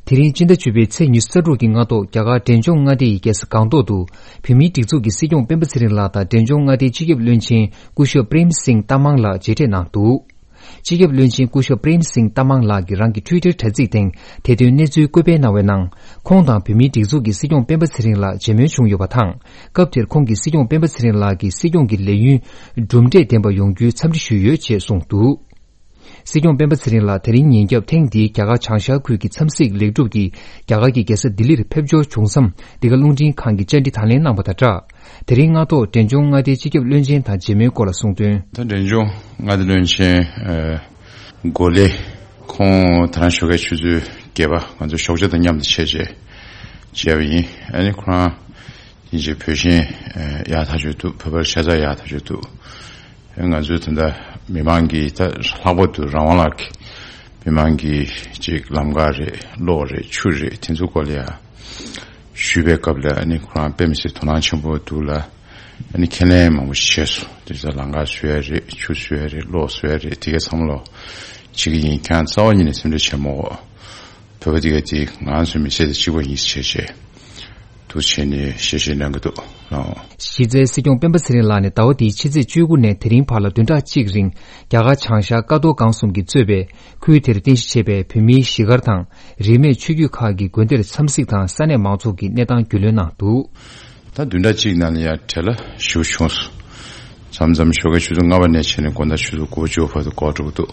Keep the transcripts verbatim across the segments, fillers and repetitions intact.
དེ་རིང་སྤྱི་ཟླ་བཅུ་པའི་ཚེས་ཉི་ཤུ་རྩ་དྲུག་གི་སྔ་ཐོག་རྒྱ་གར་འབྲས་ལྗོངས་མངའ་སྡེ་ཡི་རྒྱལ་ས་སྒང་ཏོག་ཏུ་བོད་མིའི་སྒྲིག་འཛུགས་ཀྱི་སྲིད་སྐྱོང་སྤེན་པ་ཚེ་རིང་ལགས་དང་འབྲས་ལྗོངས་མངའ་སྡེའི་སྤྱི་ཁྱབ་བློན་ཆེན་སྐུ་ཞབས་པྲེམ་སིང་ཏ་མང་ལགས་མཇལ་འཕྲད་གནང་འདུག་སྤྱི་ཁྱབ་བློན་ཆེན་སྐུ་ཞབས་པྲེམ་སིང་ཏ་མང་ལགས་ཀྱིས་རང་གི་ཊུའི་ཊར་དྲ་ཚིགས་སྟེང་དེ་དོན་གནས་ཚུལ་བཀོད་སྤེལ་གནང་བའི་ནང་། ཁོང་དང་བོད་མིའི་སྒྲིག་འཛུགས་ཀྱི་སྲིད་སྐྱོང་སྤེན་པ་ཚེ་རིང་ལགས་མཇལ་མོལ་བྱུང་ཡོད་པ་དང་། སྐབས་དེར་ཁོང་གིས་སྲིད་སྐྱོང་སྤེན་པ་ཚེ་རིང་ལགས་ཀྱི་སྲིད་སྐྱོང་གི་ལས་ཡུན་གྲུབ་འབྲས་ལྡན་པ་ཡོང་རྒྱུའི་འཚམས་འདྲི་ཞུས་ཡོད་ཅེས་གསུངས་འདུག་སྲིད་སྐྱོང་སྤེན་པ་ཚེ་རིང་ལགས་དེ་རིང་ཉིན་རྒྱབ་ཐེངས་འདིའི་རྒྱ་གར་བྱང་ཤར་ཁུལ་གྱི་འཚམས་གཟིགས་ལེགས་གྲུབ་ཀྱིས་རྒྱ་གར་གྱི་རྒྱལ་ས་ལྡི་ལིར་ཕེབས་འབྱོར་བྱུང་མཚམས། འདི་ག་རླུང་འཕྲིན་ཁང་གིས་བཅར་འདྲི་དང་ལེན་གནང་བ་དང་སྦྲགས། དེ་རིང་སྔ་ཐོག་འབྲས་ལྗོངས་མངའ་སྡེའི་སྤྱི་ཁྱབ་བློན་ཆེན་དང་མཇལ་མོལ་སྐོར་ལ་གསུངས་དོན། ད་འབྲས་ལྗོངས་མངའ་སྡེ་བློན་ཆེན་ཨ་གོ་ལེ། ཁོང་ད་རང་ཞོགས་ཀའི་ཆུ་ཚོད་བརྒྱད་པ་ང་ཚོ་ཞོགས་ཇ་དང་མཉམ་དུ་ཆས་རྗེས་མཇལ་བ་ཡིན། ཨ་ནི་ཁོ་རང་ཡིན་གཅིག་བོད་ཞེན་ཡག་ཐག་ཆོད་འདུག་བོད་པར་ཤ་ཚ་ཡག་ཐག་ཆོད་འདུག་ང་ཚོའི་ད་ལྟ་མི་མང་གིས་ད་ལྷག་པར་དུ་རང་དབང་ལགས་ཀྱིས་མི་མང་གིས་ཅིག་ལམ་ཁ་རེད། གློག་རེད། ཆུ་རེད། དེ་ཚོ་སྐོར་ལ་ཡ་ཞུས་པའི་སྐབས་ལ་ཨ་ནི་ཁོ་རང་དཔེ་མི་སྲིད་དོ་སྣང་ཆེན་པོ་འདུག་ལ། ཨ་ནི་ཁས་ལེན་མང་པོ་ཞིག་བྱས་སོང་། དེ་ཚོ་ལམ་ཁ་བཟོ་ཡ་རེད། ཆུ་བཟོ་ཡ་རེད། གློག་བཟོ་ཡ་རེད། དེ་ག་ཚང་མ་ལོ་བྱེད་ཀྱི་ཡིན། ཁྱེད་རང་རྩ་བ་ཉིད་ནས་སེམས་ཁྲལ་བྱེད་མ་དགོས། བོད་པ་དེ་ག་དེ་ང་ཚོའི་མི་ཚེ་དང་གཅིག་པ་ཡིན་ཟེར་བྱས་བྱས། འདུག་བྱས་ནས་བཤད་བཤད་གནང་གི་འདུག་ལགས། གཞི་རྩའི་སྲིད་སྐྱོང་སྤེན་པ་ཚེ་རིང་ལགས་ནས་ཟླ་བ་འདིའི་ཕྱི་ཚེས་བཅུ་དགུ་ནས་དེ་རིང་བར་ལ་བདུན་ཕྲག་གཅིག་རིང་རྒྱ་གར་བྱང་ཤར་ཀ་རྡོར་སྒང་གསུམ་གྱིས་གཙོས་པའི་ཁུལ་དེར་རྟེན་གཞི་བྱས་པའི་བོད་མིའི་གཞིས་སྒར་དང་། རིས་མེད་ཆོས་བརྒྱུད་ཁག་གི་དགོན་སྡེར་འཚམས་གཟིགས་དང་ས་གནས་མང་ཚོགས་ཀྱི་གནས་སྟངས་རྒྱུས་ལོན་གནང་འདུག་ད་བདུན་ཕྲག་གཅིག་ནང་ལ་ཡང་བྲེལ་བ་ཞེ་པོ་བྱུང་སོང་། མཚམས་མཚམས་ཞོགས་ཀའི་ཆུ་ཚོད་ལྔ་པ་ནས་བྱས་ནས་དགོང་དག་ཆུ་ཚོད་དགུ་པ་བཅུ་པ་བར་དུ་འགོར་འགྲོ་གི་འདུག་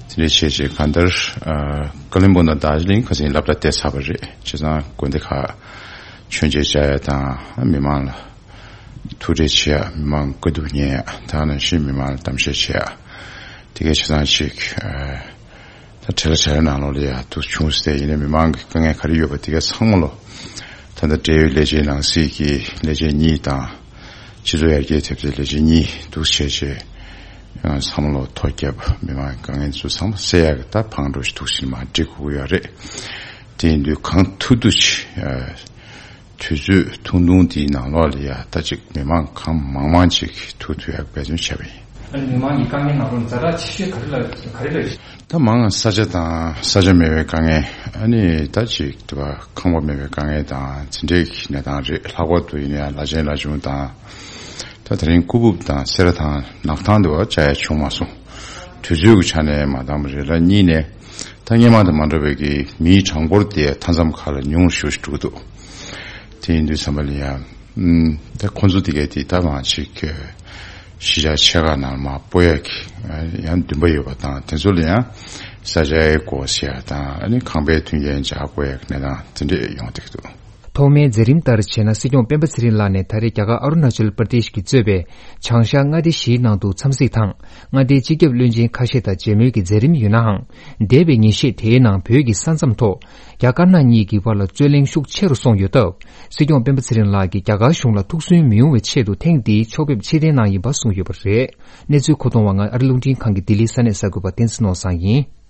དེ་འདྲའི་བྱས་བྱས་གང་ལྟར་ཨ་ཀ་ལོན་སྦུག་དང་རྡོ་རྗེ་གླིང་ཁ་སང་སློབ་གྲྭ་བསྡད་ཚར་བ་རེད། བྱས་ཙང་དགོན་སྡེ་ཁག་མཆོད་མཇལ་བཅར་ཡ་དང་མི་མང་ལ་ཐུག་འཕྲད་བྱེད་ཡ། མི་མང་བཀའ་བསྡུར་ཉན་ཡ། དེ་ནང་བཞིན་མི་མང་ལ་གཏམ་བཤད་བྱེད་ཡ། དེ་གའི་བྱས་ཙང་ཅིག་ཨ་ད་བྲེལ་བ་བྲེལ་བའི་ནང་ལོགས་ལ་ཡ་འདུག་བྱུང་སྟེ། ཡིན་ནའི་མི་མང་གི་དཀའ་ངལ་ག་རེ་ཡོད་པ་དེ་ག་ཚང་མ་ལོ། ད་ལྟ་འབྲེལ་ཡོད་ལས་བྱེད་ནང་སྲིད་ཀྱི་ལས་བྱེད་གཉིས་དང་། སྤྱི་ཚོགས་ཡར་རྒྱས་ཐེབས་རྩའི་ལས་བྱེད་གཉིས་འདུག་བྱས་བྱས། ཡང་བསམ་བློ་ཐོ་བརྒྱབ། མི་མང་གི་དཀའ་ངལ་ཚོ་ཚང་མ་སེལ་ཡག་གི་ད་ཕར་འགྲོ་ཞིག་འདུག་ཕྱིན་མ་འགྲིག་དགོས་ཀྱི་ཡོད་རེད། དེ་ཡིན་དུས་གང་ཐུབ་ཐུབ་ཅིག་ཨ་དུས་ཚོད་ཐུང་ཐུང་དེའི་ནང་ལོགས་ལ་ཡ་ད་ཅིག་མི་མང་གང་མང་མང་ཅིག་ཐུག་ཐུབ་ཡག་འབད་བརྩོན་བྱས་པ་ཡིན། ཨ་ནི་མི་མང་གི་དཀའ་ངལ་ནང་ལོགས་ཛ་དྲག་ཆེ་ཤོས་ག་རེ་ལ་ག་རེ་ལ་རེད། ད་མང་ས་ཆ་དང་ས་ཆ་མེད་པའི་དཀའ་ངལ། ཨ་ནི་ད་ཅིག་དེ་བ་ཁང་པ་མེད་པའི་དཀའ་ངལ་དང་དེ་འདྲའི་གནས་སྟངས་རེད། ལྷག་པར་དུ་ཡིན་ན་ཡང་ལ་ཆེན་ལ་ཆུང་དང་། ད་དེ་རིང་ཀུ་ཕུབ་དང་སེ་ར་དང་ནག་ཐང་དུ་བ་བཅའ་ཡ་བྱུང་མ་སོང་། དུས་ཚོད་ཀྱི་ཆ་ནས་མ་འདང་བ་རེད་ལ། གཉིས་ནས་ད་སྔོན་མ་དང་མ་འདྲ་བའི་གི་མིའི་གྲངས་འབོར་དེ་མཐའ་མཚམས་ཁག་ལ་ཉུང་རུ་ཞེ་པོ་ཞིག་འགྲོ་གི་འདུག་དེ་ཡིན་དུས་ཙམ་པ་ལ་ཡ། ཨུམ། ད་ཁོང་ཚོ་དེ་གའི་དེ་ད་མ་ཅིག་གཞིས་ཆགས་ཆེ་ཁག་ནང་མ་སྤོ་ཡ་གི་ཡང་འདུན་པ་ཡོད་པ་དང་། དེ་ཚོ་ལ་ཡང་ས་ཆའི་སྒོ་ཕྱེ་ཡ་དང་། ཨ་ནི་ཁང་པའི་མཐུན་རྐྱེན་འཇགས་དགོས་ཡ་གི་གནས་སྟངས་དེ་འདྲས་ཡོང་བསྡད་ཀྱི་འདུག་ཐོག་མའི་མཛད་རིམ་ལྟར་བྱས་ན། སྲིད་སྐྱོང་སྤེན་པ་ཚེ་རིང་ལགས་ནས་ད་རེས་རྒྱ་གར་ཨ་རུ་ན་ཅལ་པར་དེཤ་གིས་གཙོས་པའི་བྱང་ཤར་མངའ་སྡེ་བཞིའི་ནང་དུ་འཚམས་གཟིགས་དང་། མངའ་སྡེའི་སྤྱི་ཁྱབ་བློན་ཆེན་ཁ་ཤས་དང་མཇལ་མོལ་གྱི་མཛད་རིམ་ཡོད་ནའང་། འདས་པའི་ཉིན་ཤས་དེའི་ནང་བོད་ཀྱི་ས་མཚམས་ཐོག་རྒྱ་དཀར་ནག་གཉིས་ཀྱི་བར་ལ་རྩོད་གླེང་ཤུགས་ཆེ་རུ་སོང་ཡོད་སྟབས། སྲིད་སྐྱོང་སྤེན་པ་ཚེ་རིང་ལགས་ཀྱིས་རྒྱ་གར་གཞུང་ལ་ཐུགས་སུན་མི་དབྱུང་བའི་ཆེད་དུ་ཐེངས་འདིའི་ཕྱོགས་ཕེབས་ཕྱིར་འཐེན་གནང་ཡིན་པ་གསུངས་ཡོད་པ་རེད། གནས་ཚུལ་མཁོ་གཏོང་བ་ང་ཨ་རི་རླུང་འཕྲིན་ཁང་གི་ལྡི་ལི་ས་གནས་གསར་འགོད་པ་བསྟན་འཛིན་ནོར་བཟང་ཡིན།